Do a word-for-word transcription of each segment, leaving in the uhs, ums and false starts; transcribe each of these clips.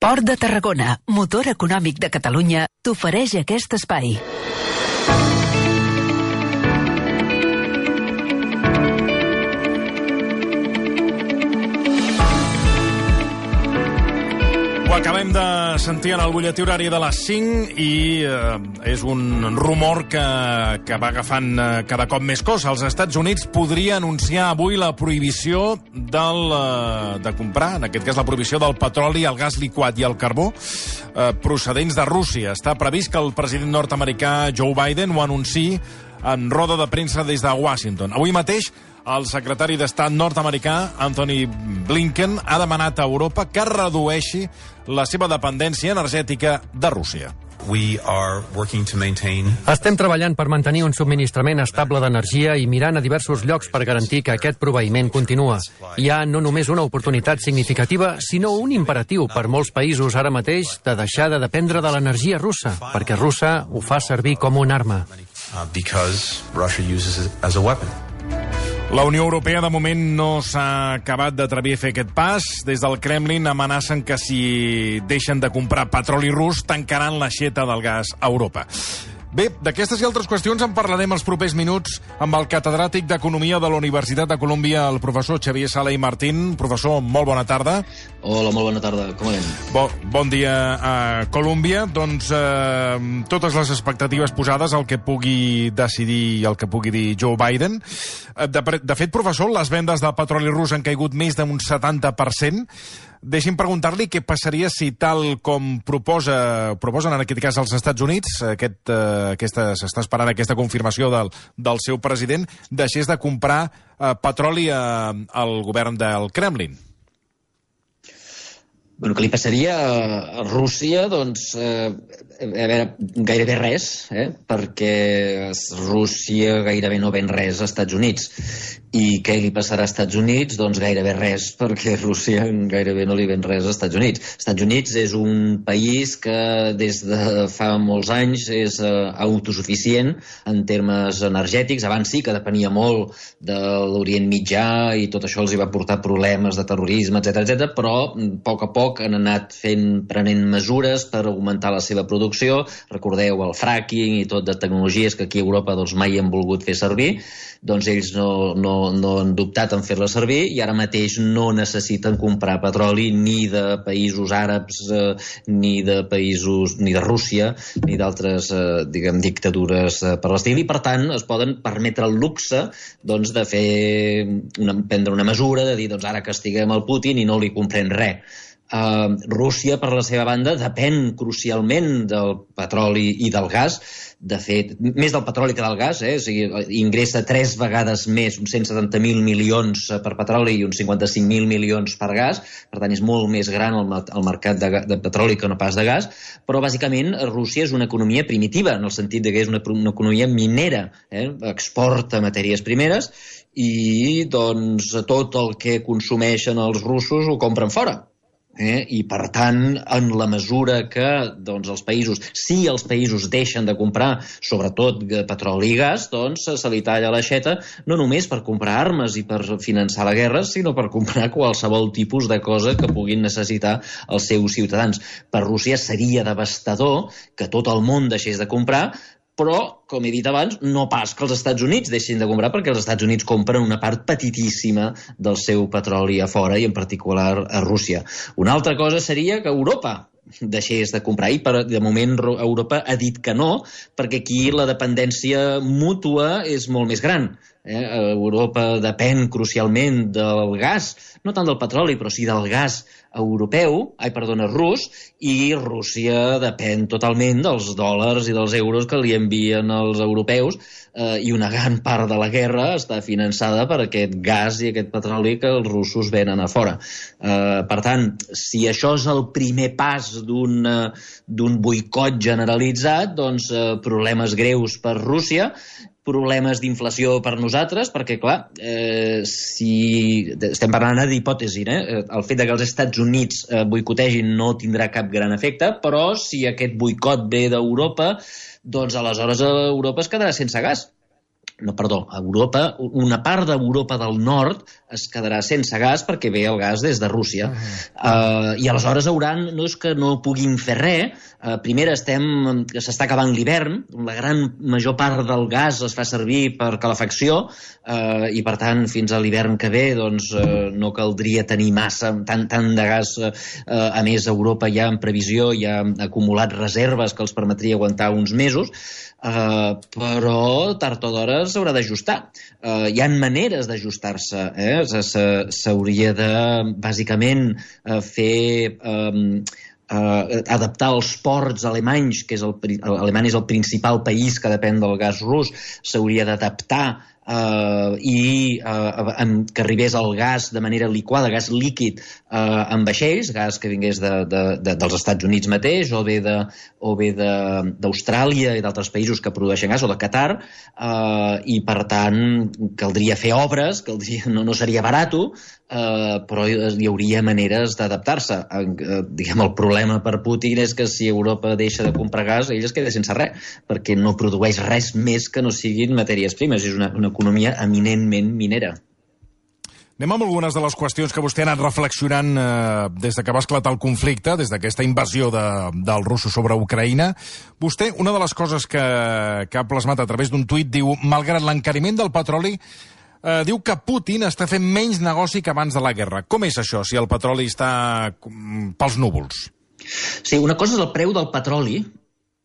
Port de Tarragona, motor econòmic de Catalunya, t'ofereix aquest espai. Ho acabem de sentir en el butlletí horari de les cinc i eh, és un rumor que, que va agafant eh, cada cop més cos. Els Estats Units podria anunciar avui la prohibició del, eh, de comprar, en aquest cas la prohibició del petroli, el gas liquat i el carbó eh, procedents de Rússia. Està previst que el president nord-americà Joe Biden ho anunciï en roda de premsa des de Washington. Avui mateix el secretari d'Estat nord-americà, Antony Blinken, ha demanat a Europa que redueixi la seva dependència energètica de Rússia. We are working to maintain... Estem treballant per mantenir un subministrament estable d'energia i mirant a diversos llocs per garantir que aquest proveïment continua. Hi ha no només una oportunitat significativa, sinó un imperatiu per molts països ara mateix de deixar de dependre de l'energia russa, perquè Rússia ho fa servir com una arma. Because Russia uses it as a weapon. La Unió Europea, de moment, no s'ha acabat d'atrevir a fer aquest pas. Des del Kremlin amenacen que si deixen de comprar petroli rus, tancaran l'aixeta del gas a Europa. Bé, d'aquestes i altres qüestions en parlarem els propers minuts amb el catedràtic d'Economia de la Universitat de Colúmbia, el professor Xavier Sala i Martín. Professor, molt bona tarda. Hola, molt bona tarda. Com anem? Bo, bon dia a Colúmbia. Doncs eh, totes les expectatives posades al que pugui decidir i el que pugui dir Joe Biden. De, de fet, professor, les vendes de petroli rus han caigut més d'un setanta per cent. Deixi'm preguntar-li què passaria si, tal com proposa, proposen en aquest cas els Estats Units, aquest, eh, aquesta, s'està esperant aquesta confirmació del, del seu president, deixés de comprar eh, petroli eh, al govern del Kremlin. Bueno, què li passaria a Rússia? Doncs, eh, a veure, gairebé res, eh? perquè Rússia gairebé no ven res als Estats Units. I què li passarà als Estats Units? Doncs gairebé res, perquè Rússia gairebé no li ven res als Estats Units. Els Estats Units és un país que des de fa molts anys és eh, autosuficient en termes energètics. Abans sí que depenia molt de l'Orient Mitjà i tot això els hi va portar problemes de terrorisme, etcètera, etcètera, però a poc a poc han anat fent, prenent mesures per augmentar la seva producció. Recordeu el fracking i tot de tecnologies que aquí a Europa doncs, mai han volgut fer servir. Doncs ells no, no, no han dubtat en fer-la servir i ara mateix no necessiten comprar petroli ni de països àrabs, eh, ni de països, ni de Rússia, ni d'altres eh, diguem, dictadures eh, per l'estil, i per tant es poden permetre el luxe doncs, de fer una, prendre una mesura, de dir doncs, ara castiguem el Putin i no li comprem res. Uh, Rússia, per la seva banda, depèn crucialment del petroli i del gas. De fet, més del petroli que del gas, eh? O sigui, ingressa tres vegades més, uns cent setanta mil milions per petroli i uns cinquanta-cinc mil milions per gas. Per tant, és molt més gran el, el mercat de, de petroli que no pas de gas. Però, bàsicament, Rússia és una economia primitiva, en el sentit de que és una, una economia minera. Eh? Exporta matèries primeres i, doncs, tot el que consumeixen els russos ho compren fora. Eh? I per tant, en la mesura que doncs, els països, si els països deixen de comprar sobretot petroli i gas, doncs se li talla l'aixeta no només per comprar armes i per finançar la guerra, sinó per comprar qualsevol tipus de cosa que puguin necessitar els seus ciutadans. Per Rússia seria devastador que tot el món deixés de comprar, però, com he dit abans, no pas que els Estats Units deixin de comprar, perquè els Estats Units compren una part petitíssima del seu petroli a fora, i en particular a Rússia. Una altra cosa seria que Europa deixés de comprar, i per, de moment Europa ha dit que no, perquè aquí la dependència mútua és molt més gran. Eh? Europa depèn crucialment del gas, no tant del petroli, però sí del gas europeu, ai, perdona, rus, i Rússia depèn totalment dels dòlars i dels euros que li envien els europeus, eh, i una gran part de la guerra està finançada per aquest gas i aquest petroli que els russos venen a fora. Eh, per tant, si això és el primer pas d'un d'un boicot generalitzat, doncs eh, problemes greus per Rússia, problemes d'inflació per nosaltres, perquè, clar, eh, si estem parlant d'hipòtesi, eh? El fet que els Estats Units eh, boicotegin no tindrà cap gran efecte, però si aquest boicot ve d'Europa, doncs aleshores Europa es quedarà sense gas. no, perdó, Europa, una part d'Europa del nord es quedarà sense gas perquè ve el gas des de Rússia. Uh-huh. uh, I aleshores hauran, no és que no puguin fer res, uh, primer estem, que s'està acabant l'hivern, la gran major part del gas es fa servir per calefacció, uh, i per tant fins a l'hivern que ve doncs, uh, no caldria tenir massa, tant, tant de gas. Uh, a més, Europa ja en previsió ja ha acumulat reserves que els permetria aguantar uns mesos, Uh, però tard o d'hora s'haurà d'ajustar. Uh, hi ha maneres d'ajustar-se, eh? S'hauria de, bàsicament, uh, fer... Um, uh, adaptar els ports alemanys, que és el, Alemanya és el principal país que depèn del gas rus, s'hauria d'adaptar Uh, i uh, um, que arribés el gas de manera liquada, gas líquid, uh, en vaixells, gas que vingués de, de, de, dels Estats Units mateix o bé de, o bé d'Austràlia i d'altres països que produeixen gas, o de Qatar, uh, i per tant caldria fer obres, caldria, no, no seria barato, uh, però hi hauria maneres d'adaptar-se. Uh, diguem, el problema per Putin és que si Europa deixa de comprar gas, ell es queda sense res, perquè no produeix res més que no siguin matèries primes. És una, una economia eminentment minera. Anem amb algunes de les qüestions que vostè ha anat reflexionant eh, des de que va esclatar el conflicte, des d'aquesta invasió de, dels russos sobre Ucraïna. Vostè, una de les coses que, que ha plasmat a través d'un tuit, diu, malgrat l'encariment del petroli, eh, diu que Putin està fent menys negoci que abans de la guerra. Com és això, si el petroli està pels núvols? Sí, una cosa és el preu del petroli,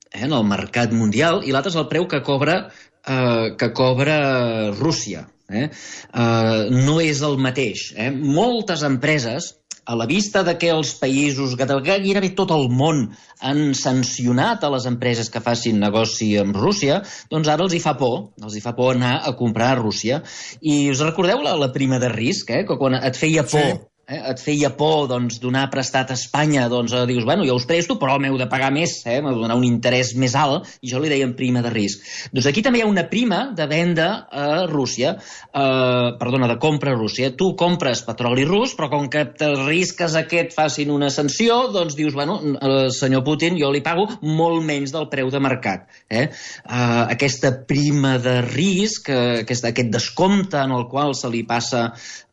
eh, en el mercat mundial, i l'altra és el preu que cobra Uh, que cobra Rússia. Eh? Uh, no és el mateix. Eh? Moltes empreses, a la vista de que els països, gairebé tot el món, han sancionat a les empreses que facin negoci amb Rússia, doncs ara els hi fa por, els hi fa por anar a comprar a Rússia. I us recordeu la, la prima de risc, eh? Que quan et feia por... Sí. Eh, et feia por doncs, donar prestat a Espanya, doncs eh, dius, bueno, jo us presto, però m'heu de pagar més, eh, m'heu de donar un interès més alt, i jo li deien prima de risc. Doncs aquí també hi ha una prima de venda a Rússia, eh, perdona, de compra a Rússia. Tu compres petroli rus, però com que t'arrisques a que et facin una sanció, doncs dius, bueno, eh, senyor Putin, jo li pago molt menys del preu de mercat. Eh? Eh, aquesta prima de risc, eh, aquest, aquest descompte en el qual se li passa,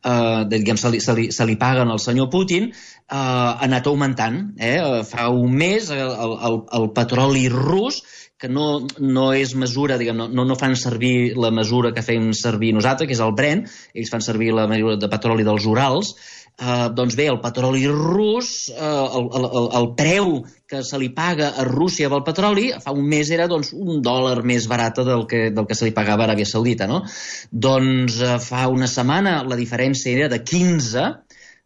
eh, diguem, se li, se li, se li paguen al senyor Putin, eh, ha anat augmentant. Eh? Fa un mes el, el, el petroli rus, que no, no és mesura, diguem, no, no fan servir la mesura que fem servir nosaltres, que és el Brent, ells fan servir la mesura de petroli dels Urals, eh, doncs bé, el petroli rus, eh, el, el, el preu que se li paga a Rússia pel petroli fa un mes era doncs, un dòlar més barat del que, del que se li pagava a Aràbia Saudita. No? Doncs eh, fa una setmana la diferència era de quinze,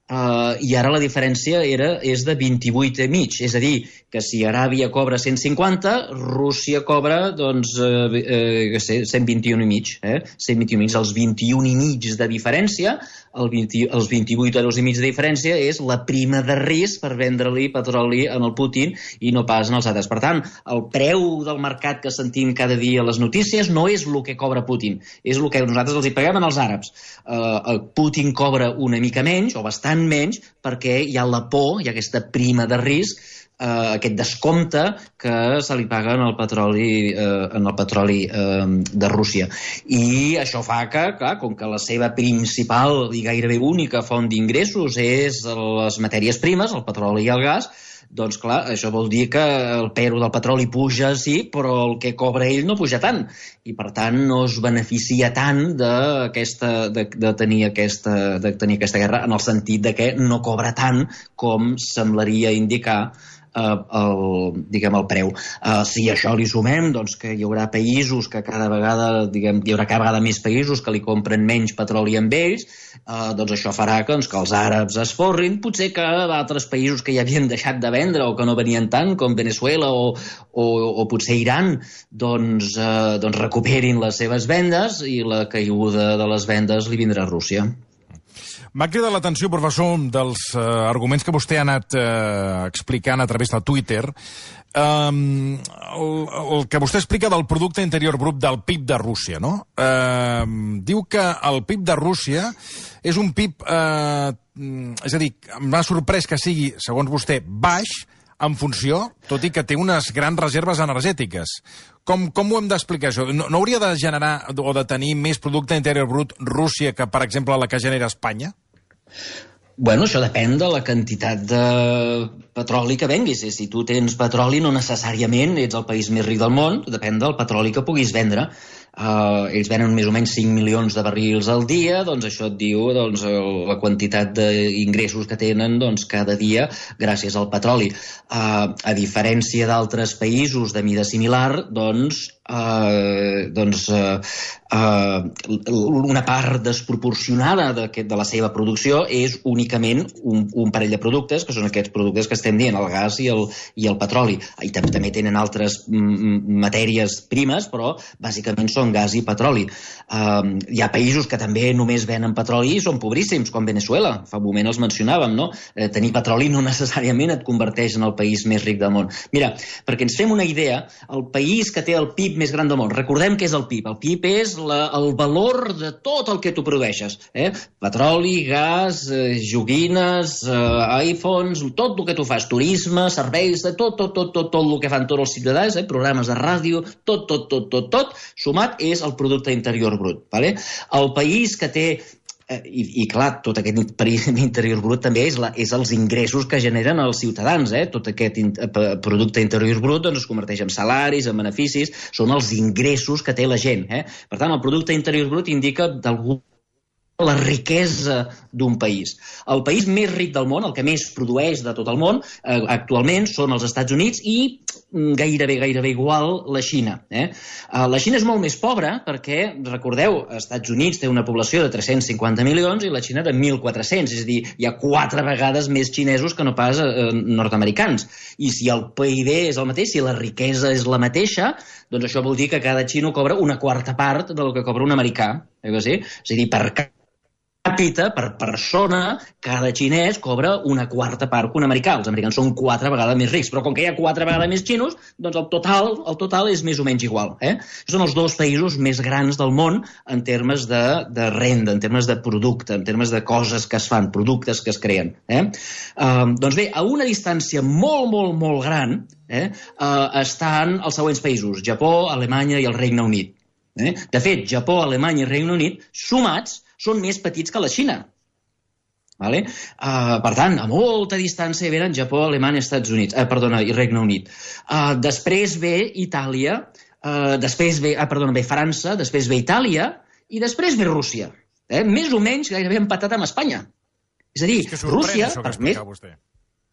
Uh, i ara la diferència era, és de vint-i-vuit i mig. És a dir, que si Aràbia cobra cent cinquanta, Rússia cobra doncs, eh, eh, sé, cent vint-i-un i mig. Eh? cent vint-i-un i mig. Els vint-i-un i mig de diferència, el vint, els vint-i-vuit euros i mig de diferència és la prima de risc per vendre-li petroli en el Putin i no pas en els altres. Per tant, el preu del mercat que sentim cada dia a les notícies no és el que cobra Putin, és el que nosaltres els hi paguem als àrabs. Uh, Putin cobra una mica menys, o bastant menys, perquè hi ha la por, hi ha aquesta prima de risc, eh, aquest descompte que se li paga en el petroli, eh, en el petroli eh, de Rússia. I això fa que, clar, com que la seva principal i gairebé única font d'ingressos és les matèries primes, el petroli i el gas, doncs clar, això vol dir que el preu del petroli puja, sí, però el que cobra ell no puja tant, i per tant no es beneficia tant d'aquesta, de, de, tenir aquesta, de tenir aquesta guerra, en el sentit de que no cobra tant com semblaria indicar el, diguem, el preu. Uh, si a això li sumem doncs, que hi haurà països que cada vegada, diguem, hi haurà cada vegada més països que li compren menys petroli amb ells, uh, doncs això farà que, doncs, que els àrabs es forrin, potser que d'altres països que ja havien deixat de vendre o que no venien tant, com Venezuela o, o, o potser Iran, doncs, uh, doncs recuperin les seves vendes i la caiguda de les vendes li vindrà a Rússia. M'ha cridat l'atenció, professor, dels uh, arguments que vostè ha anat uh, explicant a través de Twitter. Um, el, el que vostè explica del producte interior brut del P I B de Rússia, no? Uh, diu que el P I B de Rússia és un P I B... Uh, és a dir, m'ha sorprès que sigui, segons vostè, baix, en funció, tot i que té unes grans reserves energètiques. Com, com ho hem d'explicar, això? No, no hauria de generar o de tenir més producte interior brut Rússia que, per exemple, la que genera Espanya? Bueno, això depèn de la quantitat de petroli que venguis. Si tu tens petroli, no necessàriament ets el país més ric del món, depèn del petroli que puguis vendre. Uh, ells venen més o menys cinc milions de barrils al dia, doncs això et diu doncs, la quantitat d'ingressos que tenen doncs, cada dia gràcies al petroli. Uh, a diferència d'altres països de mida similar, doncs, uh, doncs uh, uh, una part desproporcionada de, de la seva producció és únicament un, un parell de productes, que són aquests productes que estem dient, el gas i el, i el petroli. I també, també tenen altres mm, matèries primes, però bàsicament són gas i petroli. Uh, hi ha països que també només venen petroli i són pobríssims, com Venezuela. Fa un moment els mencionàvem, no? Eh, tenir petroli no necessàriament et converteix en el país més ric del món. Mira, perquè ens fem una idea, el país que té el P I B més gran del món, recordem què és el P I B. El P I B és la, el valor de tot el que tu produeixes. Eh? Petroli, gas, eh, joguines, eh, iPhones, tot el que tu fas, turisme, serveis, tot, tot, tot, tot, tot el que fan tots els ciutadans, eh? Programes de ràdio, tot, tot, tot, tot, tot, sumat és el producte interior brut. Vale? El país que té, eh, i, i clar, tot aquest interior brut també és, la, és els ingressos que generen els ciutadans. Eh? Tot aquest in, eh, producte interior brut doncs, es converteix en salaris, en beneficis, són els ingressos que té la gent. Eh? Per tant, el producte interior brut indica d'algú la riquesa d'un país. El país més ric del món, el que més produeix de tot el món, eh, actualment són els Estats Units i gairebé, gairebé igual la Xina. Eh? Uh, la Xina és molt més pobra perquè, recordeu, els Estats Units té una població de tres-cents cinquanta milions i la Xina de mil quatre-cents, és a dir, hi ha quatre vegades més xinesos que no pas eh, nord-americans. I si el P I B és el mateix, si la riquesa és la mateixa, doncs això vol dir que cada xino cobra una quarta part del que cobra un americà. Eh que sí? És a dir, per capita, per persona, cada xinès cobra una quarta part que un americà. Els americans són quatre vegades més rics, però com que hi ha quatre vegades més xinos, doncs el total, el total és més o menys igual. Eh? Són els dos països més grans del món en termes de, de renda, en termes de producte, en termes de coses que es fan, productes que es creen. Eh? Uh, doncs bé, a una distància molt, molt, molt gran eh, uh, estan els següents països, Japó, Alemanya i el Regne Unit. Eh? De fet, Japó, Alemanya i Regne Unit, sumats, són més petits que la Xina. Vale? Uh, per tant, a molta distància venen Japó, Alemanya, Estats Units, eh, perdona, i Regne Unit. Uh, després ve Itàlia, uh, després ve, ah, perdona, ve França, després ve Itàlia i després ve Rússia. Eh? Més o menys gairebé empatat amb Espanya. És a dir, és que Rússia, això que per més... vostè.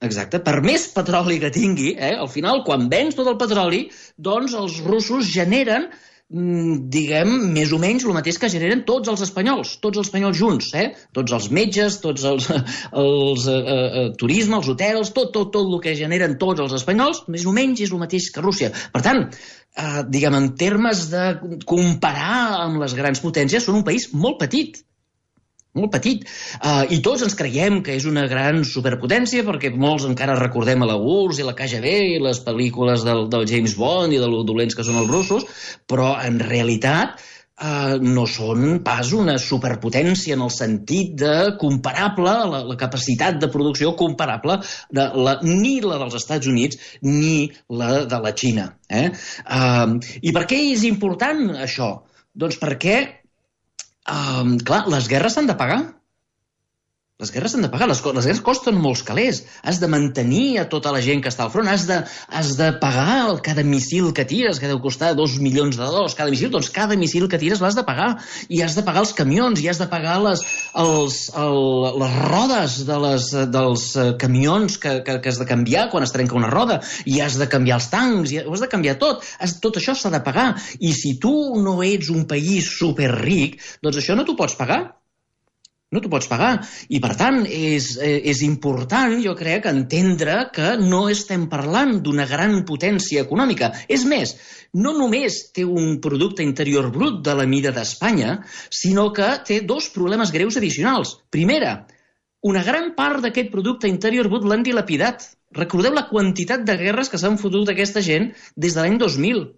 Exacte, per més petroli que tingui, eh, al final, quan vens tot el petroli, doncs els russos generen diguem, més o menys el mateix que generen tots els espanyols, tots els espanyols junts, eh? Tots els metges, tots els, els eh, eh, turisme, els hotels, tot, tot, tot el que generen tots els espanyols, més o menys és el mateix que Rússia. Per tant, eh, diguem, en termes de comparar amb les grans potències, són un país molt petit. Molt petit. Uh, I tots ens creiem que és una gran superpotència perquè molts encara recordem a la U R S S i la K G B i les pel·lícules del, del James Bond i de lo dolents que són els russos, però en realitat uh, no són pas una superpotència en el sentit de comparable, la, la capacitat de producció comparable de la, ni la dels Estats Units ni la de la Xina. Eh? Uh, I per què és important això? Doncs perquè Um, clar, les guerres s'han de pagar. Les guerres s'han de pagar, les, les guerres costen molts calés. Has de mantenir a tota la gent que està al front, has de, has de pagar cada missil que tires, que deu costar dos milions de dòlars cada missil, doncs cada missil que tires l'has de pagar. I has de pagar els camions, i has de pagar les, els, el, les rodes de les, dels camions que, que, que has de canviar quan es trenca una roda, i has de canviar els tancs, i ho has de canviar tot. Has, tot això s'ha de pagar. I si tu no ets un país superric, doncs això no t'ho pots pagar. No t'ho pots pagar. I, per tant, és, és important, jo crec, entendre que no estem parlant d'una gran potència econòmica. És més, no només té un producte interior brut de la mida d'Espanya, sinó que té dos problemes greus addicionals. Primera, una gran part d'aquest producte interior brut l'han dilapidat. Recordeu la quantitat de guerres que s'han fotut aquesta gent des de l'any dos mil.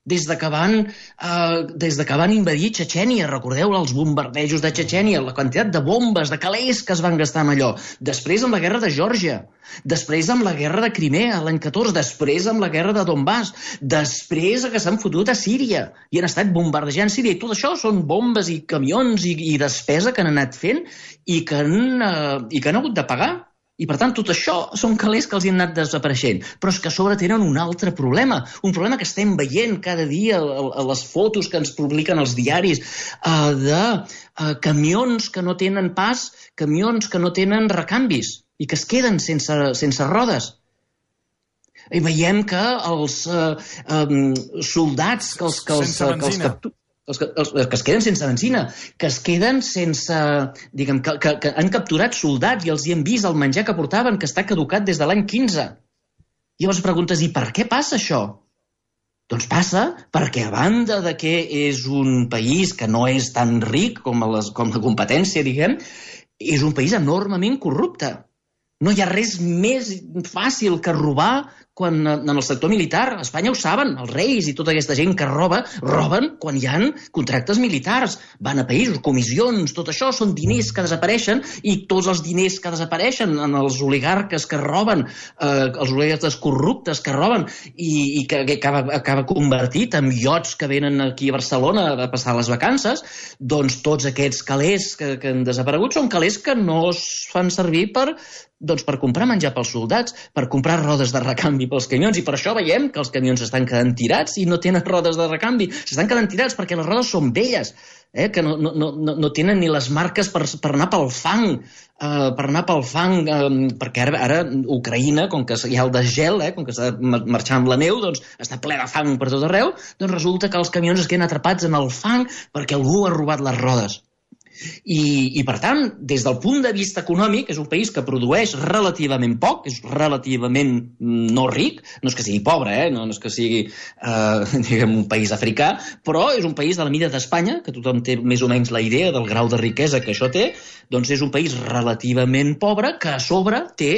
des de que van, uh, des de que van invadir Txetxènia. Recordeu els bombardejos de Txetxènia, la quantitat de bombes, de calés que es van gastar amb allò. Després amb la guerra de Geòrgia, després amb la guerra de Crimea l'any catorze, després amb la guerra de Donbass, després que s'han fotut a Síria i han estat bombardejant Síria. I tot això són bombes i camions i, i despesa que han anat fent i que han, uh, i que han hagut de pagar. I, per tant, tot això són calés que els hi han anat desapareixent. Però és que a sobre tenen un altre problema, un problema que estem veient cada dia a les fotos que ens publiquen els diaris, uh, de uh, camions que no tenen pas, camions que no tenen recanvis i que es queden sense, sense rodes. I veiem que els uh, um, soldats que els, que els, sense benzina. Que els capturen, Els que, els que es queden sense benzina, que es queden sense... Diguem, que, que, que han capturat soldats i els hi han vist el menjar que portaven, que està caducat des de l'any quinze. I llavors preguntes, i per què passa això? Doncs passa perquè, a banda de que és un país que no és tan ric com, les, com la competència, diguem, és un país enormement corrupte. No hi ha res més fàcil que robar quan en el sector militar. A Espanya ho saben, els reis i tota aquesta gent que roba, roben quan hi ha contractes militars. Van a països, comissions, tot això són diners que desapareixen i tots els diners que desapareixen en els oligarques que roben, eh, els oligarques corruptes que roben i, i que, que acaba, acaba convertit en iots que venen aquí a Barcelona a passar les vacances, doncs tots aquests calés que, que han desaparegut són calés que no es fan servir per... doncs per comprar menjar pels soldats, per comprar rodes de recanvi pels camions, i per això veiem que els camions estan quedant tirats i no tenen rodes de recanvi. S'estan quedant tirats perquè les rodes són velles, eh? que no, no, no, no tenen ni les marques per, per anar pel fang, eh, per anar pel fang, eh, perquè ara, ara Ucraïna, com que hi ha el desgel, eh, com que s'ha de marxar amb la neu, doncs està ple de fang per tot arreu, doncs resulta que els camions es queden atrapats en el fang perquè algú ha robat les rodes. I, i per tant, des del punt de vista econòmic, és un país que produeix relativament poc, és relativament no ric, no és que sigui pobre, eh? no, no és que sigui eh, diguem, un país africà, però és un país de la mida d'Espanya, que tothom té més o menys la idea del grau de riquesa que això té, doncs és un país relativament pobre que a sobre té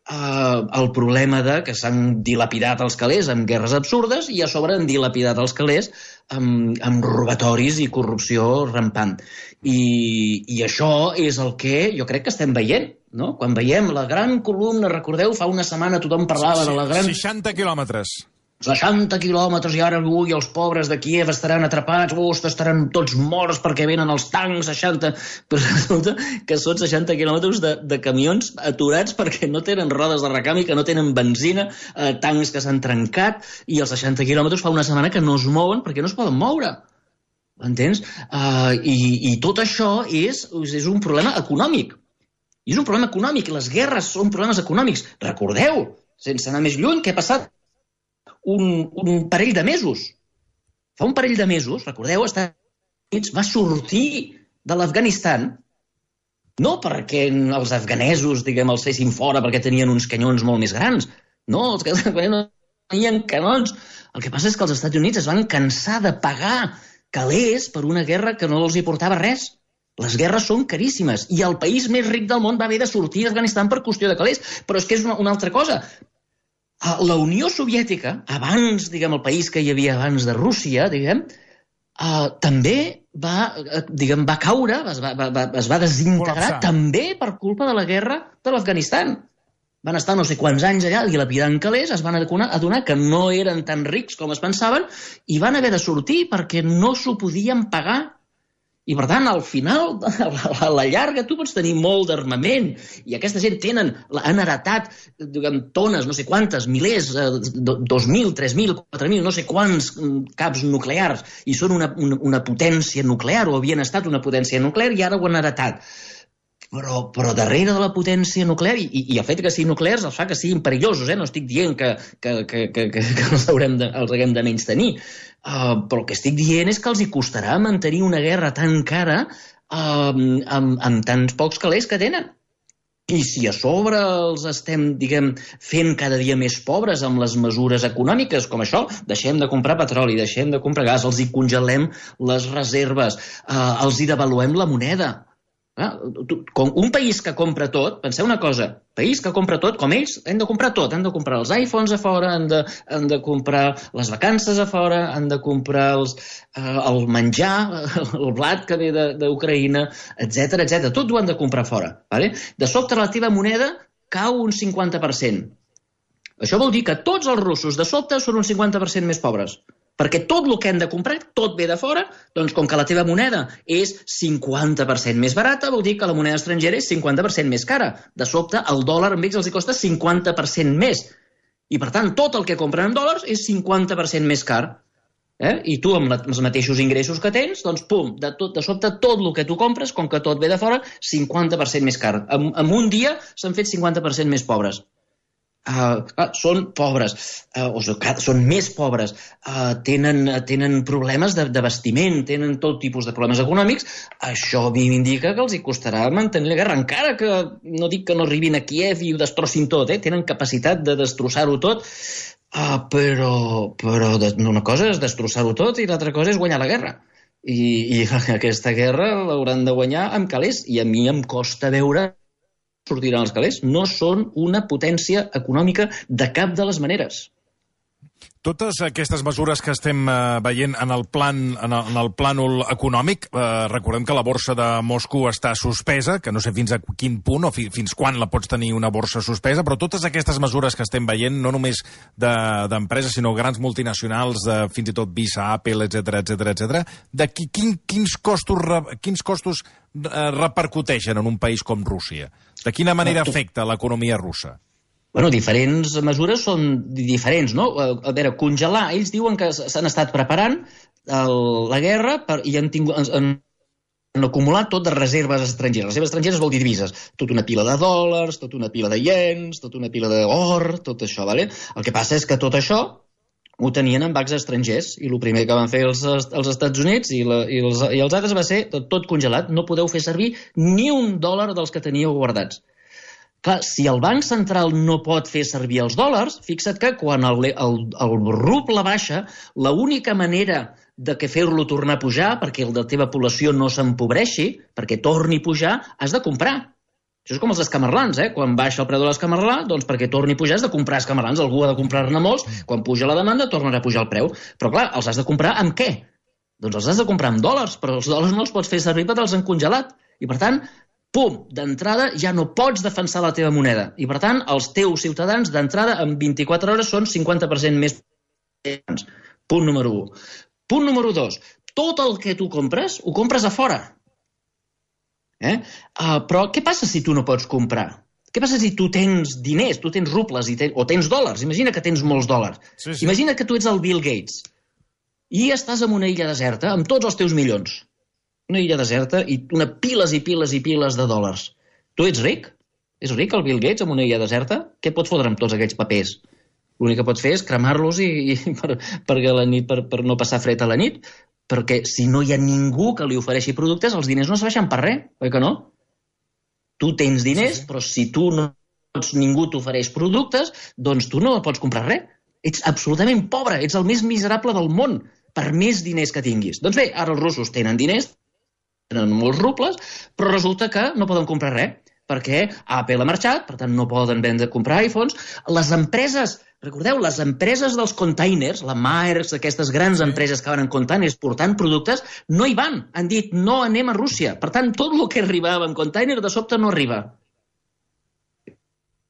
Uh, el problema de que s'han dilapidat els calés amb guerres absurdes i a sobre han dilapidat els calés amb, amb robatoris i corrupció rampant. I, i això és el que jo crec que estem veient, no? Quan veiem la gran columna, recordeu, fa una setmana tothom parlava de la gran... seixanta quilòmetres. seixanta quilòmetres i ara ui, els pobres de Kíev estaran atrapats, ostres, estaran tots morts perquè venen els tancs, seixanta... Però resulta que són seixanta quilòmetres de, de camions aturats perquè no tenen rodes de recanvi, que no tenen benzina, eh, tancs que s'han trencat, i els seixanta quilòmetres fa una setmana que no es mouen perquè no es poden moure. Entens? Uh, i, I tot això és, és un problema econòmic. I és un problema econòmic, les guerres són problemes econòmics. Recordeu, sense anar més lluny, què ha passat? Un, un parell de mesos. Fa un parell de mesos, recordeu, els Estats Units va sortir de l'Afganistan no perquè els afganesos, diguem, els fessin fora perquè tenien uns canyons molt més grans. No, els que no tenien canons. El que passa és que els Estats Units es van cansar de pagar calés per una guerra que no els hi portava res. Les guerres són caríssimes i el país més ric del món va haver de sortir d'Afganistan per qüestió de calés. Però és que és una, una altra cosa. La Unió Soviètica, abans, diguem, el país que hi havia abans de Rússia, diguem, uh, també va, uh, diguem, va caure, es va, va, es va desintegrar Col·lapsar. També per culpa de la guerra de l'Afganistan. Van estar no sé quants anys allà dilapidant calés, es van adonar, adonar que no eren tan rics com es pensaven i van haver de sortir perquè no s'ho podien pagar. I, per tant, al final, a la llarga, tu pots tenir molt d'armament i aquesta gent tenen, han heretat diguem, tones, no sé quantes, milers, dos mil, tres mil, quatre mil, no sé quants caps nuclears i són una, una, una potència nuclear o havien estat una potència nuclear i ara ho han heretat. Però, però darrere de la potència nuclear, i, i el fet que siguin nuclears els fa que siguin perillosos, eh? No estic dient que, que, que, que, que els, haurem de, els haguem de menys tenir, uh, però el que estic dient és que els hi costarà mantenir una guerra tan cara uh, amb, amb tants pocs calés que tenen. I si a sobre els estem, diguem, fent cada dia més pobres amb les mesures econòmiques, com això, deixem de comprar petroli, deixem de comprar gas, els hi congelem les reserves, uh, els hi devaluem la moneda, Com un país que compra tot, penseu una cosa, país que compra tot, com ells, han de comprar tot, han de comprar els iPhones a fora, han de, han de comprar les vacances a fora, han de comprar els, eh, el menjar, el blat que ve d'Ucraïna, etcètera, etcètera. Tot ho han de comprar fora. Vale? De sobte la teva moneda cau un cinquanta per cent. Això vol dir que tots els russos de sobte són un cinquanta per cent més pobres. Perquè tot el que han de comprar, tot ve de fora, doncs com que la teva moneda és cinquanta per cent més barata, vol dir que la moneda estrangera és cinquanta per cent més cara. De sobte, el dòlar amb ells els costa cinquanta per cent més. I, per tant, tot el que compren en dòlars és cinquanta per cent més car. Eh? I tu, amb, la, amb els mateixos ingressos que tens, doncs, pum, de, tot, de sobte, tot el que tu compres, com que tot ve de fora, cinquanta per cent més car. En, en un dia s'han fet cinquanta per cent més pobres. Uh, uh, són pobres, uh, o són més pobres, uh, tenen, tenen problemes de, de vestiment, tenen tot tipus de problemes econòmics. Això a mi m'indica que els hi costarà mantenir la guerra, encara que no dic que no arribin a Kíev i ho destrossin tot, eh? Tenen capacitat de destrossar-ho tot, uh, però, però una cosa és destrossar-ho tot i l'altra cosa és guanyar la guerra. I, i aquesta guerra l'hauran de guanyar amb calés, i a mi em costa veure sortiran els calés. No són una potència econòmica de cap de les maneres. Totes aquestes mesures que estem eh, veient en el, plan, en, el, en el plànol econòmic, eh, recordem que la borsa de Moscou està suspesa, que no sé fins a quin punt o fi, fins quan la pots tenir una borsa suspesa, però totes aquestes mesures que estem veient, no només d'empreses, de, sinó grans multinacionals, de, fins i tot Visa, Apple, etcètera, etcètera, etcètera, de qui, quin, quins costos, quins costos eh, repercuteixen en un país com Rússia? De quina manera afecta l'economia russa? Bueno, diferents mesures són diferents, no? A veure, congelar, ells diuen que s'han estat preparant el, la guerra per, i han, tingut, han, han acumulat tot de reserves estrangeres. Reserves estrangeres vol dir divises. Tota una pila de dòlars, tota una pila de iens, tota una pila d'or, tot això, ¿vale? El que passa és que tot això ho tenien en bancs estrangers i el primer que van fer els, els Estats Units i, la, i, els, i els altres va ser tot, tot congelat. No podeu fer servir ni un dòlar dels que teníeu guardats. Clar, si el Banc Central no pot fer servir els dòlars, fixa't que quan el, el, el ruble baixa, l'única manera de que fer-lo tornar a pujar, perquè la teva població no s'empobreixi, perquè torni a pujar, has de comprar. Això és com els escamarlans, eh? Quan baixa el preu de l'escamarlà, doncs perquè torni a pujar has de comprar escamarlans. Algú ha de comprar-ne molts, quan puja la demanda tornarà a pujar el preu. Però clar, els has de comprar amb què? Doncs els has de comprar amb dòlars, però els dòlars no els pots fer servir perquè els han congelat. I per tant, pum, d'entrada ja no pots defensar la teva moneda. I per tant, els teus ciutadans d'entrada en vint-i-quatre hores són cinquanta per cent més. Punt número u. Punt número dos. Tot el que tu compres, ho compres a fora. Eh? Uh, però què passa si tu no pots comprar? Què passa si tu tens diners, tu tens rubles i ten... o tens dòlars? Imagina que tens molts dòlars. Sí, sí. Imagina que tu ets el Bill Gates i estàs en una illa deserta amb tots els teus milions. Una illa deserta i una piles i piles i piles de dòlars. Tu ets ric? És ric el Bill Gates amb una illa deserta? Què pots fotre amb tots aquests papers? L'únic que pots fer és cremar-los i, i per, per, la nit, per, per no passar fred a la nit. Perquè si no hi ha ningú que li ofereixi productes, els diners no serveixen per res, oi que no? Tu tens diners, sí, sí. Però si tu no pots, ningú t'ofereix productes, doncs tu no pots comprar res. Ets absolutament pobre, ets el més miserable del món, per més diners que tinguis. Doncs bé, ara els russos tenen diners, tenen molts rubles, però resulta que no poden comprar res, perquè Apple ha marxat, per tant no poden vendre, comprar iPhones. Les empreses, recordeu, les empreses dels containers, la Maersk, aquestes grans empreses que van en containers portant productes, no hi van. Han dit, no anem a Rússia. Per tant, tot el que arribava en container de sobte no arriba.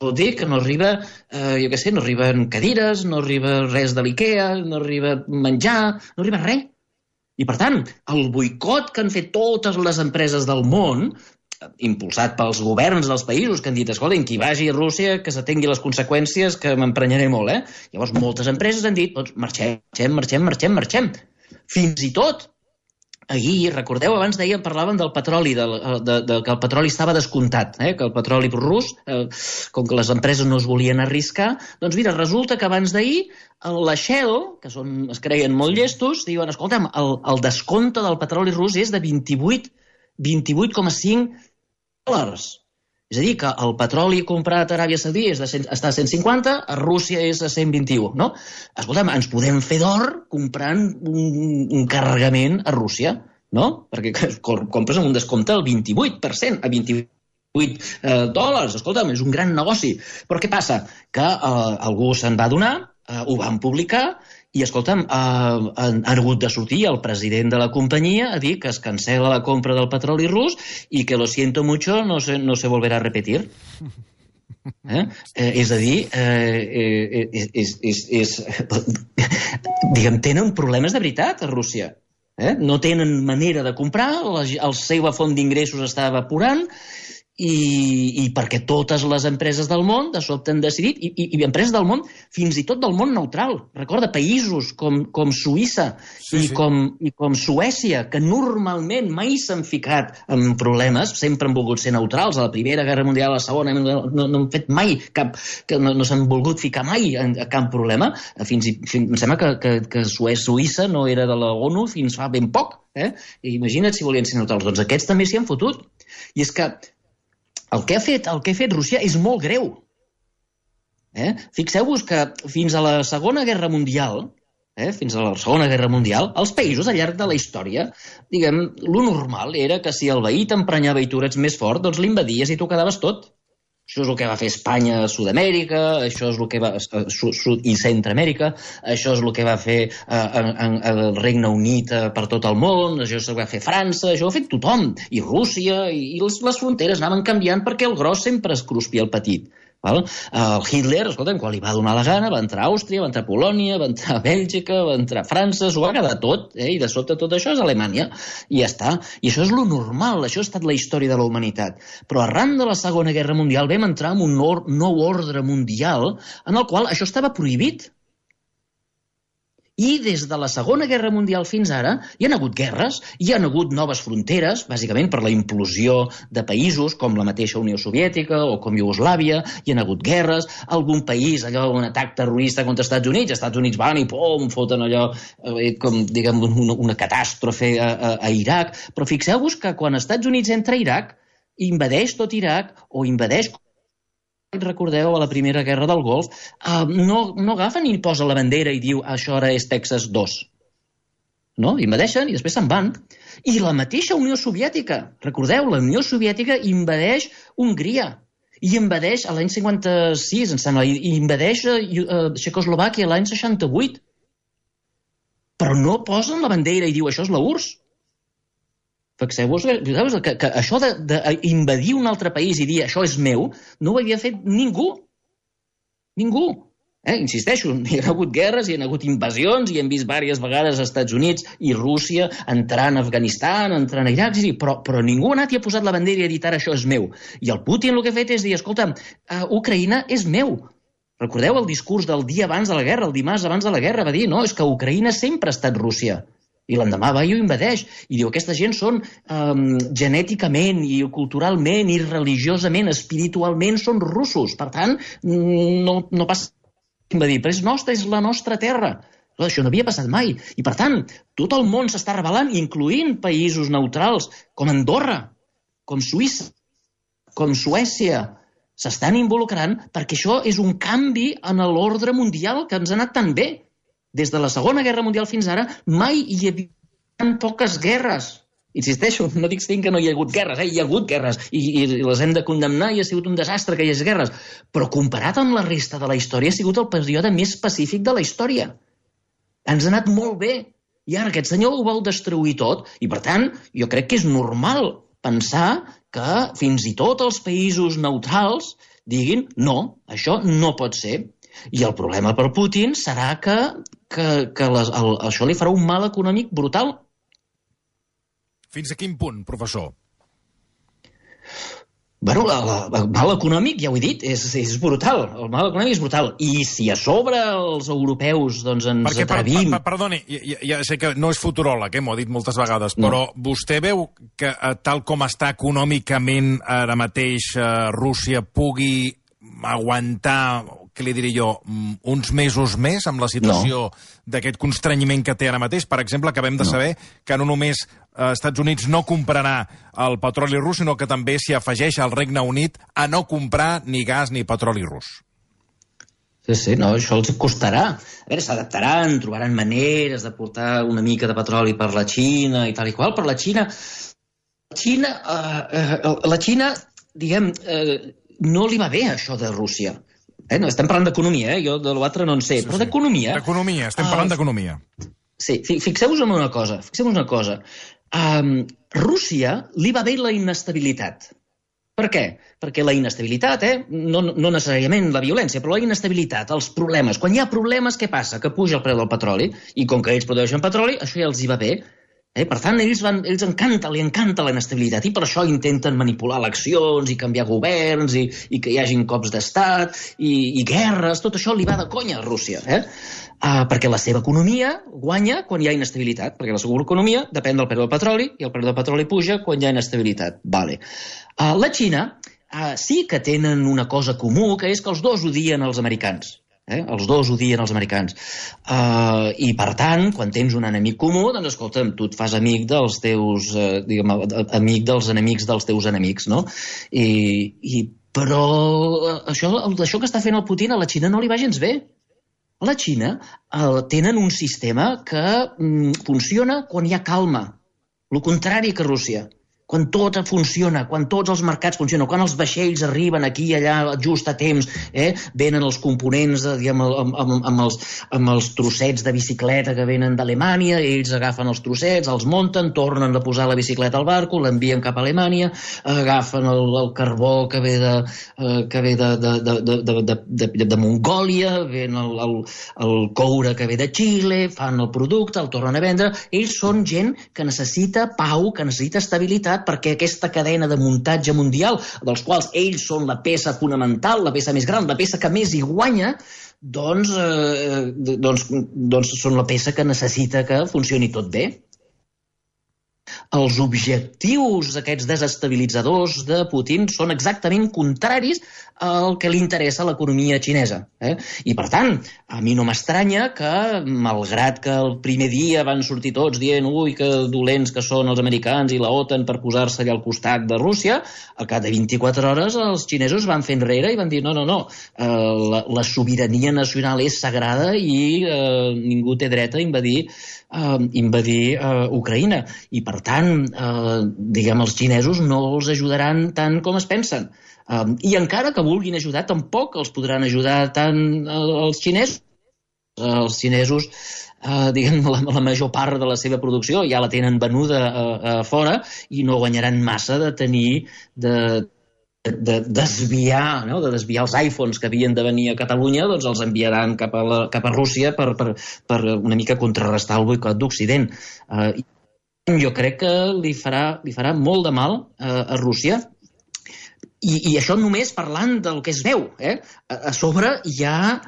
Vol dir que no arriba, eh, jo què sé, no arriben cadires, no arriba res de l'IKEA, no arriba menjar, no arriba res. I, per tant, el boicot que han fet totes les empreses del món, impulsat pels governs dels països que han dit, escolta, qui vagi a Rússia que s'atengui les conseqüències, que m'emprenyaré molt, eh? Llavors, moltes empreses han dit, doncs, marxem, marxem, marxem, marxem. Fins i tot, ahir, recordeu, abans dèiem, parlaven del petroli, de, de, de, que el petroli estava descomptat, eh? Que el petroli rus, eh, com que les empreses no es volien arriscar, doncs mira, resulta que abans d'ahir, la Shell, que són, es creien molt llestos, diuen, escolta'm, el, el descompte del petroli rus és de vint-i-vuit coma cinc dòlars. És a dir, que el petroli comprat a Aràbia Saudí és de cent, està a cent cinquanta, a Rússia és a cent vint-i-u, no? Escolta'm, ens podem fer d'or comprant un, un carregament a Rússia. no? Perquè compres amb un descompte del vint-i-vuit per cent, a vint-i-vuit eh, dòlars. Escolta'm, és un gran negoci. Però què passa? Que eh, algú se'n va adonar, eh, ho van publicar, i, escolta'm, eh, han, han hagut de sortir el president de la companyia a dir que es cancela la compra del petroli rus i que lo siento mucho, no se, no se volverá a repetir. Eh? Eh, és a dir, eh, és, és, és, és, diguem, tenen problemes de veritat a Rússia. Eh? No tenen manera de comprar, la, la seva font d'ingressos està evaporant, i, i perquè totes les empreses del món de sobte han decidit, i, i, i empreses del món, fins i tot del món neutral, recorda, països com, com Suïssa sí, i, sí. Com, i com Suècia, que normalment mai s'han ficat en problemes, sempre han volgut ser neutrals, a la Primera Guerra Mundial, a la Segona, no, no han fet mai cap, que no, no s'han volgut ficar mai en, en cap problema, fins i, fins, em sembla que, que, que Suïssa no era de la ONU fins fa ben poc, eh? I imagina't si volien ser neutrals, doncs aquests també s'hi han fotut, i és que El que ha fet, el que ha fet Rússia és molt greu. Eh? Fixeu-vos que fins a la Segona Guerra Mundial, eh, fins a la Segona Guerra Mundial, els països al llarg de la història, diguem, lo normal era que si el veí t'emprenyava i tu eres més fort, doncs l'invadies i tu quedaves tot. Això és el que va fer Espanya a Sud-amèrica, això és el que va a Sud i Centroamèrica, això és el que va fer el Regne Unit per tot el món, això és el que va fer França, això ho ha fet tothom, i Rússia, i les, les fronteres anaven canviant perquè el gros sempre es cruspia el petit. Val? El Hitler, escolta'm, quan li va donar la gana, va entrar a Àustria, va entrar a Polònia, va entrar a Bèlgica, va entrar a França, s'ho va quedar tot, eh? I de sobte tot això és Alemanya, i ja està. I això és lo normal, això ha estat la història de la humanitat. Però arran de la Segona Guerra Mundial vam entrar en un nou ordre mundial en el qual això estava prohibit. I des de la Segona Guerra Mundial fins ara hi ha hagut guerres, hi ha hagut noves fronteres, bàsicament per la implosió de països com la mateixa Unió Soviètica o com Iugoslàvia, hi ha hagut guerres, algun país, allò, un atac terrorista contra els Estats Units, els Estats Units van i pum, foten allò, eh, com, diguem, una, una catàstrofe a, a, a Iraq, però fixeu-vos que quan els Estats Units entra a Iraq, invadeix tot Iraq o invadeix, recordeu, a la Primera Guerra del Golf, uh, no, no agafen i posa la bandera i diu això ara és Texas dos. No? Invadeixen i després se'n van. I la mateixa Unió Soviètica, recordeu, la Unió Soviètica invadeix Hongria i invadeix a l'any cinquanta-sis, em sembla, i invadeix uh, Txecoslovàquia l'any seixanta-vuit. Però no posen la bandera i diu això és la U R S. Fixeu-vos que, que això d'invadir un altre país i dir això és meu, no ho havia fet ningú. Ningú. Eh? Insisteixo, hi ha hagut guerres, hi ha hagut invasions, i hem vist diverses vegades als Estats Units i Rússia entrant a Afganistan, entrant a Iraq, sí, però, però ningú ha anat i ha posat la bandera i ha dit ara això és meu. I el Putin el que ha fet és dir, escolta, uh, Ucraïna és meu. Recordeu el discurs del dia abans de la guerra, el dimarts abans de la guerra, va dir, no, és que Ucraïna sempre ha estat Rússia. I l'endemà va i ho invadeix. I diu, aquesta gent són um, genèticament i culturalment i religiosament, espiritualment són russos. Per tant, no, no passa invadir, però és nostra, és la nostra terra. Però això no havia passat mai. I per tant, tot el món s'està rebel·lant, incloent països neutrals com Andorra, com Suïssa, com Suècia. S'estan involucrant perquè això és un canvi en l'ordre mundial que ens ha anat tan bé. Des de la Segona Guerra Mundial fins ara, mai hi havia tan poques guerres. Insisteixo, no dic que no hi ha hagut guerres, eh? Hi ha hagut guerres, i, i les hem de condemnar i ha sigut un desastre que hi hagi guerres, però comparat amb la resta de la història ha sigut el període més pacífic de la història. Ens ha anat molt bé, i ara aquest senyor ho vol destruir tot, i per tant, jo crec que és normal pensar que fins i tot els països neutrals diguin no, això no pot ser. I el problema per Putin serà que, que, que les, el, això li farà un mal econòmic brutal. Fins a quin punt, professor? Bueno, el, el mal econòmic, ja ho he dit, és, és brutal. El mal econòmic és brutal. I si a sobre els europeus doncs, ens Perquè, atrevim... Per, per, perdoni, ja, ja sé que no és futuròleg, eh, m'ho ha dit moltes vegades, no. Però vostè veu que tal com està econòmicament ara mateix eh, Rússia pugui aguantar, què li diré jo, uns mesos més amb la situació no. d'aquest constrenyiment que té ara mateix? Per exemple, acabem de no. saber que no només eh, Estats Units no comprarà el petroli rus, sinó que també s'hi afegeix al Regne Unit a no comprar ni gas ni petroli rus. Sí, sí, no, això els costarà. A veure, s'adaptaran, trobaran maneres de portar una mica de petroli per la Xina i tal i qual, però la Xina... La Xina, uh, uh, la Xina diguem, uh, no li va bé això de Rússia. Eh? No, estem parlant d'economia, eh? Jo de l'altre no en sé, sí, però d'economia... D'economia, estem parlant uh, d'economia. Sí, fixeu-vos en una cosa, fixeu-vos una cosa. Um, Rússia li va bé la inestabilitat. Per què? Perquè la inestabilitat, eh? no, no necessàriament la violència, però la inestabilitat, els problemes. Quan hi ha problemes, què passa? Que puja el preu del petroli, i com que ells produeixen petroli, això ja els hi va bé. Eh? Per tant, ells, van, ells encanta, li encanta la inestabilitat, i per això intenten manipular eleccions i canviar governs, i, i que hi hagin cops d'estat, i, i guerres, tot això li va de conya a Rússia. Eh? Uh, perquè la seva economia guanya quan hi ha inestabilitat, perquè la seva economia depèn del preu del petroli, i el preu del petroli puja quan hi ha inestabilitat. Vale. Uh, la Xina uh, sí que tenen una cosa comú, que és que els dos odien els americans. Eh? Els dos odien els americans. Uh, I, per tant, quan tens un enemic comú, doncs, escolta'm, tu et fas amic dels teus... Uh, diguem, amic dels enemics dels teus enemics, no? I, i, però això, això que està fent el Putin a la Xina no li va gens bé. A la Xina uh, tenen un sistema que mm, funciona quan hi ha calma. El contrari que Rússia. Quan tot funciona, quan tots els mercats funcionen, quan els vaixells arriben aquí i allà just a temps, eh? Venen els components, de, diguem, amb, amb, amb, els, amb els trossets de bicicleta que venen d'Alemanya, ells agafen els trossets, els munten, tornen a posar la bicicleta al barco, l'envien cap a Alemanya, agafen el, el carbó que ve de, eh, que ve de, de, de, de, de, de, de, de Mongòlia, ven el, el, el coure que ve de Xile, fan el producte, el tornen a vendre. Ells són gent que necessita pau, que necessita estabilitat, perquè aquesta cadena de muntatge mundial, dels quals ells són la peça fonamental, la peça més gran, la peça que més hi guanya, doncs, eh, doncs, doncs són la peça que necessita que funcioni tot bé. Els objectius aquests desestabilitzadors de Putin són exactament contraris al que li interessa a l'economia xinesa. Eh? I, per tant, a mi no m'estranya que, malgrat que el primer dia van sortir tots dient ui, que dolents que són els americans i la OTAN per posar-se allà al costat de Rússia, al cap de vint-i-quatre hores els xinesos van fer enrere i van dir no, no, no, eh, la, la sobirania nacional és sagrada i eh, ningú té dret a invadir Uh, invadir uh, Ucraïna. I, per tant, uh, diguem, els xinesos no els ajudaran tant com es pensen. Uh, I encara que vulguin ajudar, tampoc els podran ajudar tant uh, els xinesos. Uh, els xinesos, uh, diguem, la, la major part de la seva producció ja la tenen venuda uh, uh, fora i no guanyaran massa de tenir... de de desviar, no? de desviar els iPhones que havien de venir a Catalunya, doncs els enviaran cap a, la, cap a Rússia per, per, per una mica contrarrestar el boicot d'Occident. Uh, jo crec que li farà, li farà molt de mal uh, a Rússia, i, i això només parlant del que es veu. Eh? A, a sobre hi ha,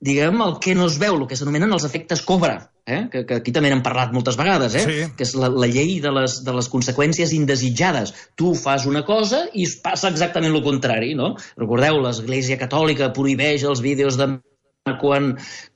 diguem, el que no es veu, el que s'anomenen els efectes Cobra. Eh? Que, que aquí també n'hem parlat moltes vegades, eh? Sí. Que és la, la llei de les, de les conseqüències indesitjades. Tu fas una cosa i passa exactament el contrari, no? Recordeu, l'Església Catòlica prohibeix els vídeos de quan,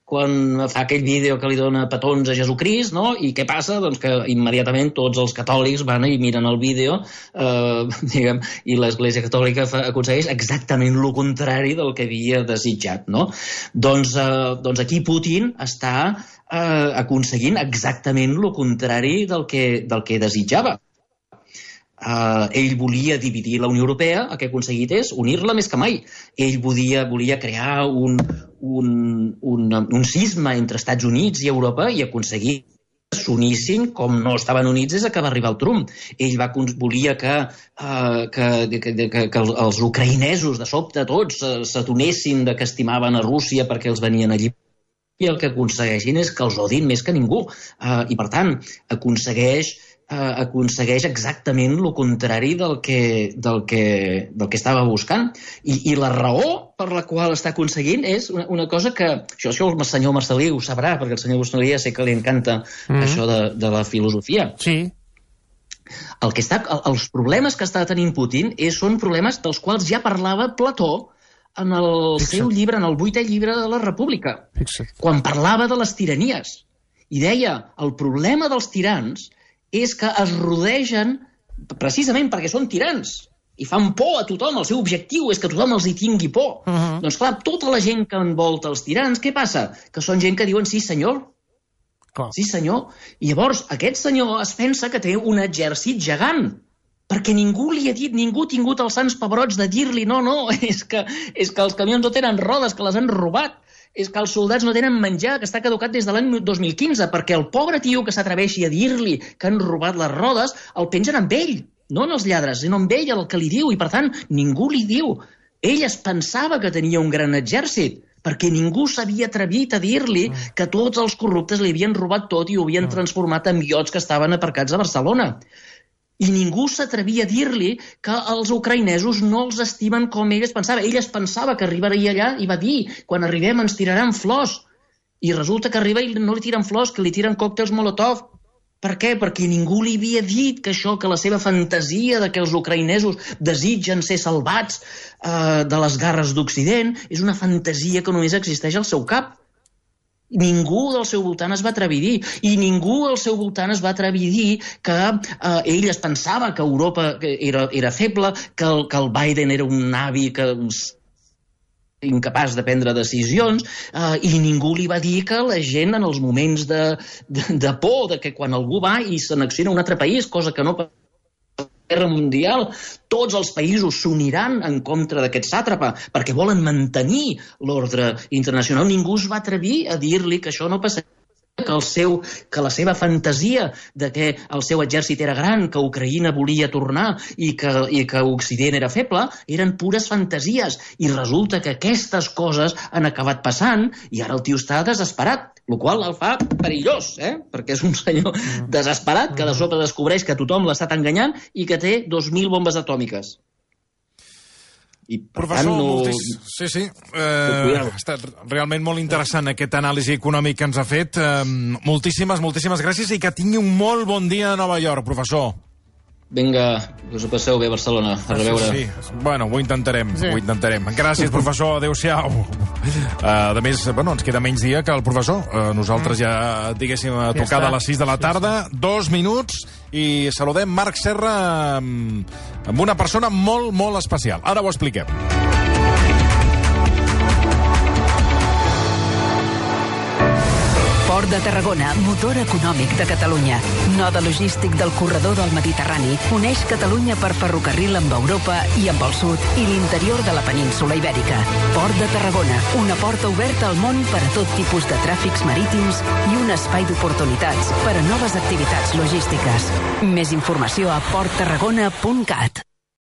quan fa aquell vídeo que li dona petons a Jesucrist, no? I què passa? Doncs que immediatament tots els catòlics van i miren el vídeo, eh, diguem, i l'Església Catòlica fa, aconsegueix exactament el contrari del que havia desitjat, no? Doncs, eh, doncs aquí Putin està eh, aconseguint exactament el contrari del que, del que desitjava. Uh, ell volia dividir la Unió Europea, el que ha aconseguit és unir-la més que mai. Ell volia, volia crear un, un, un, un cisma entre Estats Units i Europa i aconseguir que s'unissin com no estaven units des que va arribar el Trump. Ell va, volia que, uh, que, que, que, que els ucraïnesos de sobte tots uh, s'adonessin de que estimaven a Rússia perquè els venien allí, i el que aconsegueixin és que els odin més que ningú. Uh, I, per tant, aconsegueix Uh, aconsegueix exactament el contrari del que, del que, del que estava buscant. I, I la raó per la qual està aconseguint és una, una cosa que... Això, això el senyor Marcelí ho sabrà, perquè el senyor Marcelí ja sé que li encanta mm. això de, de la filosofia. Sí. El que està, el, els problemes que està tenint Putin és, són problemes dels quals ja parlava Plató en el Fixa't. seu llibre, en el vuitè llibre de la República, Fixa't. quan parlava de les tiranies. I deia, el problema dels tirans és que es rodegen, precisament perquè són tirans, i fan por a tothom, el seu objectiu és que tothom els hi tingui por. Uh -huh. Doncs clar, tota la gent que envolta els tirans, què passa? Que són gent que diuen sí senyor, Clar. sí senyor, i llavors aquest senyor es pensa que té un exèrcit gegant, perquè ningú li ha dit, ningú ha tingut els sants pebrots de dir-li no, no, és que, és que els camions no tenen rodes, que les han robat, és que els soldats no tenen menjar, que està caducat des de l'any dos mil quinze, perquè el pobre tio que s'atreveixi a dir-li que han robat les rodes, el pengen amb ell, no en els lladres, sinó amb ell el que li diu, i per tant ningú li diu. Ell es pensava que tenia un gran exèrcit, perquè ningú s'havia atrevit a dir-li que tots els corruptes li havien robat tot i ho havien transformat en iots que estaven aparcats a Barcelona. I ningú s'atrevia a dir-li que els ucraïnesos no els estimen com ell es pensava. Ell es pensava que arribaria allà i va dir, quan arribem ens tiraran flors. I resulta que arriba i no li tiren flors, que li tiren còctels Molotov. Per què? Perquè ningú li havia dit que això, que la seva fantasia de que els ucraïnesos desitgen ser salvats eh, de les garres d'Occident és una fantasia que només existeix al seu cap. Ningú del seu voltant es va atrevir a dir, i ningú al seu voltant es va atrevir a dir que eh, ell es pensava que Europa era, era feble, que el, que el Biden era un avi que incapaç de prendre decisions, eh, i ningú li va dir que la gent en els moments de, de, de por, de que quan algú va i s'annexiona a un altre país, cosa que no passa a la guerra mundial, tots els països s'uniran en contra d'aquest sàtrapa perquè volen mantenir l'ordre internacional. Ningú es va atrevir a dir-li que això no passaria, que, el seu, que la seva fantasia de que el seu exèrcit era gran, que Ucraïna volia tornar i que, i que Occident era feble, eren pures fantasies. I resulta que aquestes coses han acabat passant i ara el tio està desesperat, el qual el fa perillós, eh? Perquè és un senyor desesperat que de sobte descobreix que tothom l'ha estat enganyant i que té dos mil bombes atòmiques. I, per Professor, tant, no... moltis... sí, sí, eh, ha estat realment molt interessant aquest anàlisi econòmic que ens ha fet. Eh, moltíssimes, moltíssimes gràcies i que tingui un molt bon dia a Nova York, professor. Vinga, que us ho passeu bé a Barcelona. A reveure. Sí, sí. Bueno, ho intentarem, sí. ho intentarem. Gràcies, professor, adéu-siau. Uh, a més, bueno, ens queda menys dia que el professor. Uh, nosaltres ja, diguéssim, a tocar de les sis de la tarda, dos minuts, i saludem Marc Serra amb, amb una persona molt, molt especial. Ara ho expliquem. Port de Tarragona, motor econòmic de Catalunya. Node logístic del corredor del Mediterrani, uneix Catalunya per ferrocarril amb Europa i amb el sud i l'interior de la península Ibèrica. Port de Tarragona, una porta oberta al món per a tot tipus de tràfics marítims i un espai d'oportunitats per a noves activitats logístiques. Més informació a port tarragona punt cat.